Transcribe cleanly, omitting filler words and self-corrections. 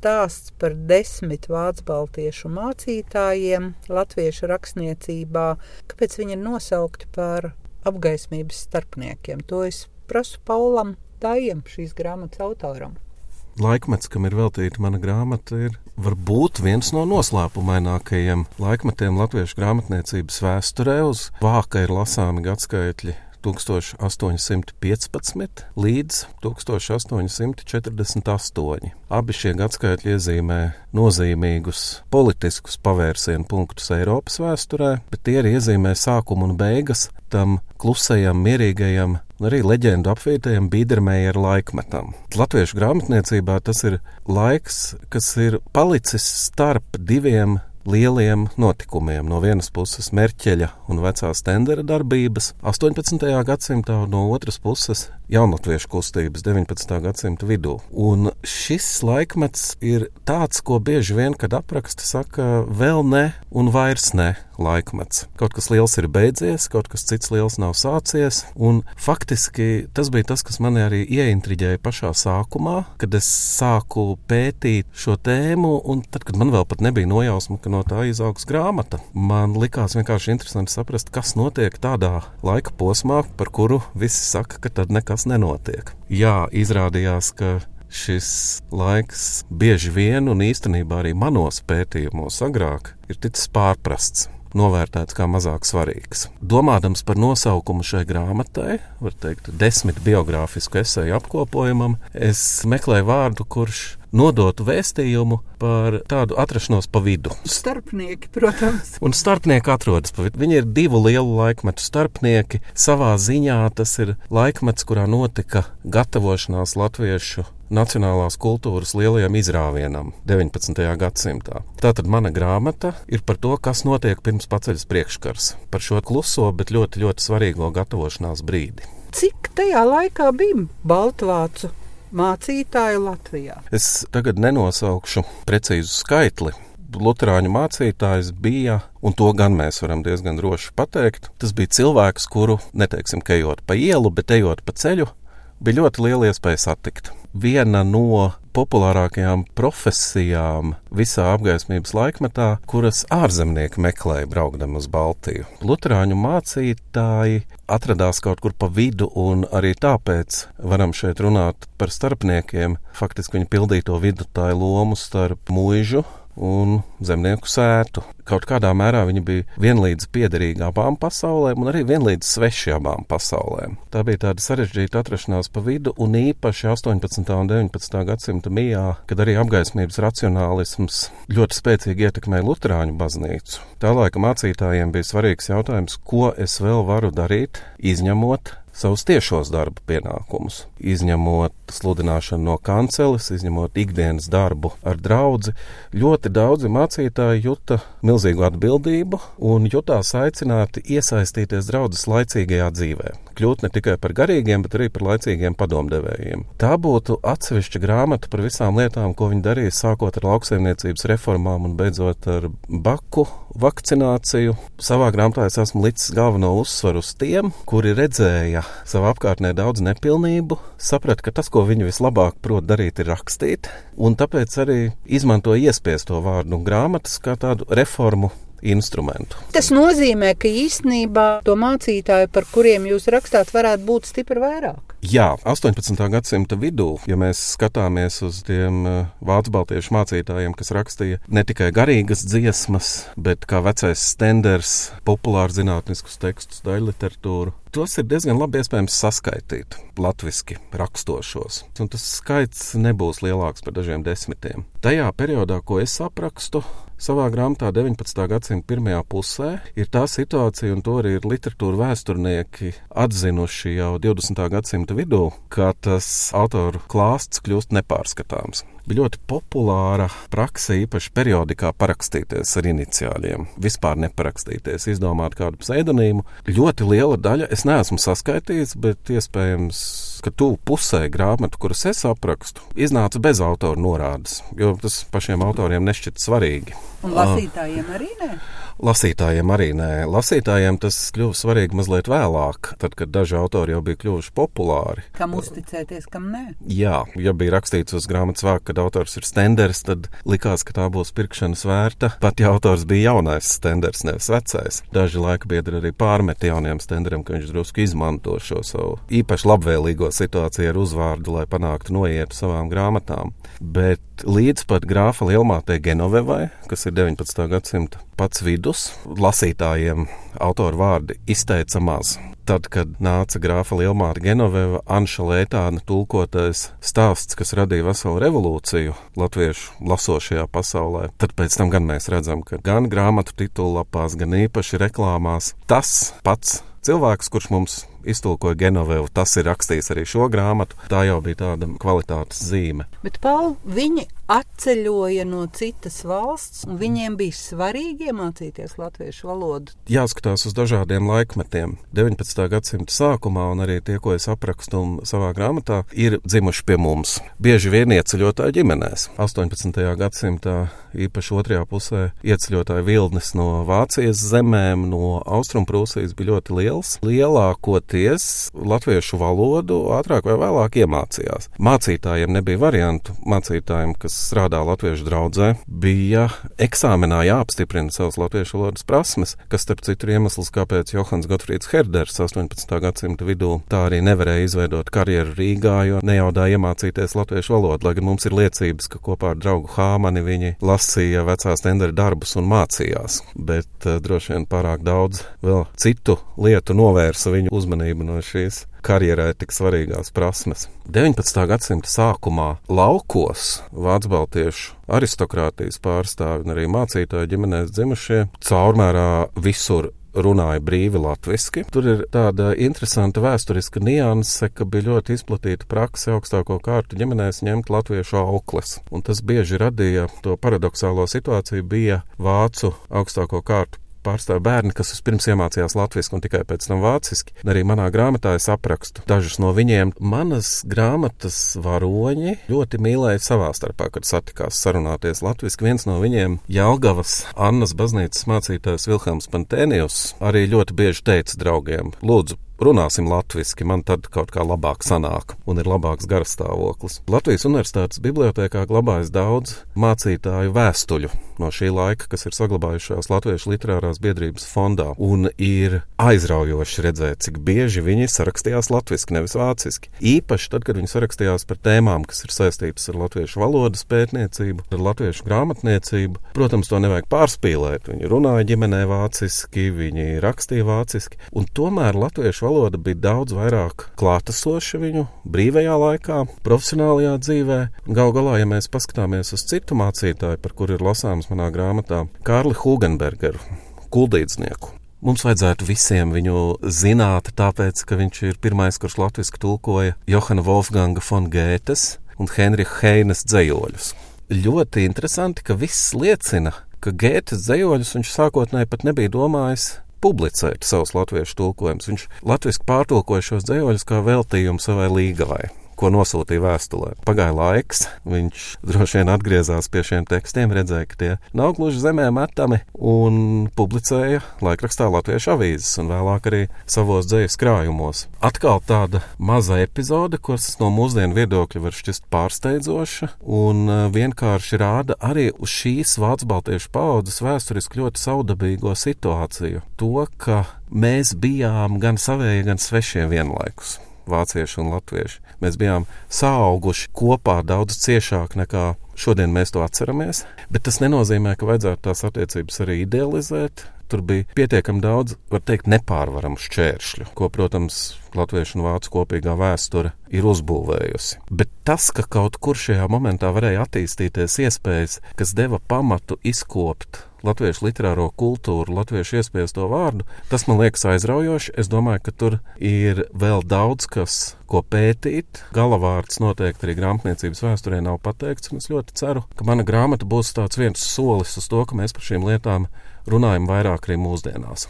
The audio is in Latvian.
stāsts par 10 vācu baltiešu mācītājiem latviešu rakstniecībā. Kāpēc viņi ir nosaukti par apgaismības starpniekiem? To es prasu Paulam Dājam, šīs grāmatas autoram. Laikmets, kam ir veltīta mana grāmata, ir varbūt viens no noslēpumainākajiem laikmetiem latviešu grāmatniecības vēsturē. Uz vāka ir lasāmi gadskaitļi 1815 līdz 1848. Abi šie gadskaitļi iezīmē nozīmīgus politiskus pavērsienu punktus Eiropas vēsturē, bet tie arī iezīmē sākumu un beigas tam klusajam, mierīgajam un arī leģendu apvītajam Bīdermeijera laikmetam. Latviešu grāmatniecībā tas ir laiks, kas ir palicis starp diviem lieliem notikumiem. No vienas puses Merķeļa un vecā Stendera darbības 18. gadsimtā, un no otras puses jaunatviešu kustības 19. gadsimta vidū. Un šis laikmets ir tāds, ko bieži vien, kad apraksta, saka vēl ne un vairs ne laikmets. Kaut kas liels ir beidzies, kaut kas cits liels nav sācies, un faktiski tas bija tas, kas mani arī ieintriģēja pašā sākumā, kad es sāku pētīt šo tēmu, un tad, kad man vēl pat nebija nojausma, ka no tā izaugs grāmata, man likās vienkārši interesanti saprast, kas notiek tādā laika posmā, par kuru visi saka, ka tad nekas nenotiek. Jā, izrādījās, ka šis laiks bieži vien un īstenībā arī manos pētījumos agrāk ir ticis pārprasts, novērtēts kā mazāk svarīgs. Domādams par nosaukumu šai grāmatai, var teikt 10 biogrāfisku eseju apkopojumam, es meklēju vārdu, kurš nodotu vēstījumu par tādu atrašanos pa vidu. Starpnieki, protams. Un starpnieki atrodas pa vidu. Viņi ir divu lielu laikmetu starpnieki. Savā ziņā tas ir laikmets, kurā notika gatavošanās latviešu nacionālās kultūras lielajam izrāvienam 19. gadsimtā. Tātad mana grāmata ir par to, kas notiek pirms paceļas priekškars. Par šo kluso, bet ļoti, ļoti svarīgo gatavošanās brīdi. Cik tajā laikā bija baltvācu mācītāju Latvijā? Es tagad nenosaukšu precīzu skaitli. Luterāņu mācītājs bija, un to gan mēs varam diezgan droši pateikt, tas bija cilvēks, kuru, neteiksim, ka ejot pa ielu, bet ejot pa ceļu, bija ļoti liela iespēja satikt. Viena no populārākajām profesijām visā apgaismības laikmetā, kuras ārzemnieki meklēja braukdami uz Baltiju. Luterāņu mācītāji atradās kaut kur pa vidu, un arī tāpēc varam šeit runāt par starpniekiem. Faktiski viņi pildīja to vidutāju lomu starp muižu un zemnieku sētu. Kaut kādā mērā viņi bija vienlīdz piederīgi abām pasaulēm un arī vienlīdz sveši abām pasaulēm. Tā bija tāda sarežģīta atrašanās pa vidu, un īpaši 18. un 19. gadsimta mijā, kad arī apgaismības racionālisms ļoti spēcīgi ietekmēja Luterāņu baznīcu. Tā laika mācītājiem bija svarīgs jautājums, ko es vēl varu darīt, izņemot savus tiešos darba pienākumus, izņemot sludināšanu no kanceles, izņemot ikdienas darbu ar draudzi. Ļoti daudzi mācītāji juta milzīgu atbildību un jutās aicināti iesaistīties draudzes laicīgajā dzīvē. Kļūt ne tikai par garīgiem, bet arī par laicīgiem padomdevējiem. Tā būtu atsevišķa grāmata par visām lietām, ko viņi darīja, sākot ar lauksaimniecības reformām un beidzot ar baku vakcināciju. Savā grāmatā es esmu licis galveno uzsvaru uz tiem, kuri redzēja savā apkārtnē daudz nepilnību, saprat, ka tas, ko viņi vislabāk prot darīt, ir rakstīt, un tāpēc arī izmanto iespiesto vārdu un grāmatas kā tādu reformu instrumentu. Tas nozīmē, ka īstenībā to mācītāju, par kuriem jūs rakstāt, varētu būt stipri vairāk. Jā, 18. gadsimta vidū, ja mēs skatāmies uz tiem vācu baltiešu mācītājiem, kas rakstīja ne tikai garīgas dziesmas, bet kā vecais Stenders, populāru zinātniskus tekstus, daļliteratūru, tos ir diezgan labi iespējams saskaitīt latviski rakstošos. Un tas skaits nebūs lielāks par dažiem desmitiem. Tajā periodā, ko es aprakstu savā grāmatā 19. gadsimta pirmajā pusē, ir tā situācija, un to arī ir literatūra vēsturnieki atzinuši jau 20. gadsimta vidū, ka tas autoru klāsts kļūst nepārskatāms. Bija ļoti populāra prakse, īpaši periodikā, parakstīties ar iniciāļiem. Vispār neparakstīties, izdomāt kādu pseidonīmu. Ļoti liela daļa, es neesmu saskaitījis, bet iespējams, ka tuvu pusē grāmatu, kuras es aprakstu, iznāca bez autora norādes, jo tas pašiem autoriem nešķita svarīgi. Un lasītājiem arī ne? Lasītājiem arī nē. Lasītājiem tas kļuva svarīgi mazliet vēlāk, tad, kad daži autori jau bija kļuvuši populāri. Kam uzticēties, kam nē? Jā, ja bija rakstīts uz grāmatas vāka, ka kad autors ir Stenders, tad likās, ka tā būs pirkšanas vērta. Pat ja autors bija jaunais Stenders, nevis vecais. Daži laikbiedri arī pārmet jauniem Stenderam, ka viņš drusku izmanto šo savu īpaši labvēlīgo situāciju ar uzvārdu, lai panāktu noietu savām grāmatām. Bet līdz pat grāfa Lielmātei Genovevai, kas ir 19. gadsimta pats vidus, lasītājiem autoru vārdi izteica maz. Tad, kad nāca grāfa Lielmāte Genoveva, Anša Lētāna tulkotais stāsts, kas radīja veselu revolūciju latviešu lasošajā pasaulē, tad pēc tam gan mēs redzam, ka gan grāmatu titullapās, gan īpaši reklāmās tas pats cilvēks, kurš mums iztulkoja Genovevu, tas ir rakstījis arī šo grāmatu. Tā jau bija tāda kvalitātes zīme. Bet, Paul, viņi atceļoja no citas valsts, un viņiem bija svarīgi iemācīties latviešu valodu. Jāskatās uz dažādiem laikmetiem. 19. gadsimta sākumā, un arī tie, ko es aprakstu savā grāmatā, ir dzimuši pie mums. Bieži vien ieceļotāji ģimenēs. 18. gadsimtā, īpaši otrajā pusē, ieceļotāju vilnis no Vācijas zemēm, no Austrumprūsijas bija ļoti liels. Lielākoties latviešu valodu ātrāk vai vēlāk iemācījās. Mācītājiem nebija variantu. Mācītājiem, kas strādā latviešu draudzē, bija eksāmenā jāapstiprina savas latviešu valodas prasmes, kas starp citu iemesls, kāpēc Johans Gotfrīds Herders 18. gadsimta vidū tā arī nevarēja izveidot karjeru Rīgā, jo nejaudāja iemācīties latviešu valodu, lai gan mums ir liecības, ka kopā ar draugu Hāmani viņi lasīja vecā Stendera darbus un mācījās, bet droši vien pārāk daudz vēl citu lietu novērsa viņu uzmanību no šīs karjerē tik svarīgās prasmes. 19. gadsimta sākumā laukos vācu-baltiešu aristokrātijas pārstāvi un arī mācītāju ģimenēs dzimušie caurmērā visur runāja brīvi latviski. Tur ir tāda interesanta vēsturiska nianse, ka bija ļoti izplatīta prakse augstāko kārtu ģimenēs ņemt latviešu aukles. Un tas bieži radīja to paradoxālo situāciju, bija vācu augstāko kārtu pārstāv bērni, kas vispirms iemācījās latviski un tikai pēc tam vāciski. Arī manā grāmatā es aprakstu dažus no viņiem. Manas grāmatas varoņi ļoti mīlēja savā starpā, kad satikās sarunāties latviski. Viens no viņiem, Jelgavas Annas baznīcas mācītājs Vilhelms Pantēnijus, arī ļoti bieži teica draugiem: lūdzu, runāsim latviski, man tad kaut kā labāk sanāk un ir labāks garastāvoklis. Latvijas universitātes bibliotēkā glabājas daudz mācītāju vēstuļu no šī laika, kas ir saglabājušās Latviešu literārās biedrības fondā, un ir aizraujoši redzēt, cik bieži viņi sarakstījās latviski, nevis vāciski. Īpaši tad, kad viņi sarakstījās par tēmām, kas ir saistītas ar latviešu valodas pētniecību, ar latviešu grāmatniecību. Protams, to nevajag pārspīlēt. Viņi runāja ģimenē vāciski, viņi rakstīja vāciski, un tomēr latviešu valoda bija daudz vairāk klātesoša viņu brīvajā laikā, profesionālajā dzīvē. Galu galā, ja mēs paskatāmies uz citu mācītāju, par kuru ir lasāms manā grāmatā, Kārli Hugenbergeru, kuldīdznieku. Mums vajadzētu visiem viņu zināt, tāpēc, ka viņš ir pirmais, kurš latviski tulkoja Johana Wolfganga von Gētes un Henriha Heines dzejoļus. Ļoti interesanti, ka viss liecina, ka Gētes dzejoļus viņš sākotnēji pat nebija domājis publicēt savus latviešu tulkojumus. Viņš latviski pārtulkoja šos dzejoļus kā veltījumu savai līgavai, ko nosūtīja vēstulē. Pagāja laiks, viņš droši vien atgriezās pie šiem tekstiem, redzēja, ka tie nav gluži zemē metami, un publicēja laikrakstā Latviešu avīzes un vēlāk arī savos dzejas krājumos. Atkal tāda maza epizode, kas no mūsdienu viedokļa var šķist pārsteidzoša un vienkārši rāda arī uz šīs vācu-baltiešu paaudzes vēsturiski ļoti saudabīgo situāciju. To, ka mēs bijām gan savējie, gan svešie vienlaikus. Vācieši un latvieši. Mēs bijām saauguši kopā daudz ciešāk nekā šodien mēs to atceramies, bet tas nenozīmē, ka vajadzētu tās attiecības arī idealizēt. Tur bija pietiekami daudz, var teikt, nepārvaramu šķēršļu, ko, protams, latviešu un vācu kopīgā vēsture ir uzbūvējusi. Bet tas, ka kaut kur šajā momentā varēja attīstīties iespējas, kas deva pamatu izkopt latviešu literāro kultūru, latviešu iespējas to vārdu, tas man liekas aizraujoši. Es domāju, ka tur ir vēl daudz kas, ko pētīt. Galavārds noteikti arī grāmatniecības vēsturē nav pateikts, un es ļoti ceru, ka mana grāmata būs tāds viens solis uz to, ka mēs par šīm lietām runājam vairāk arī mūsdienās.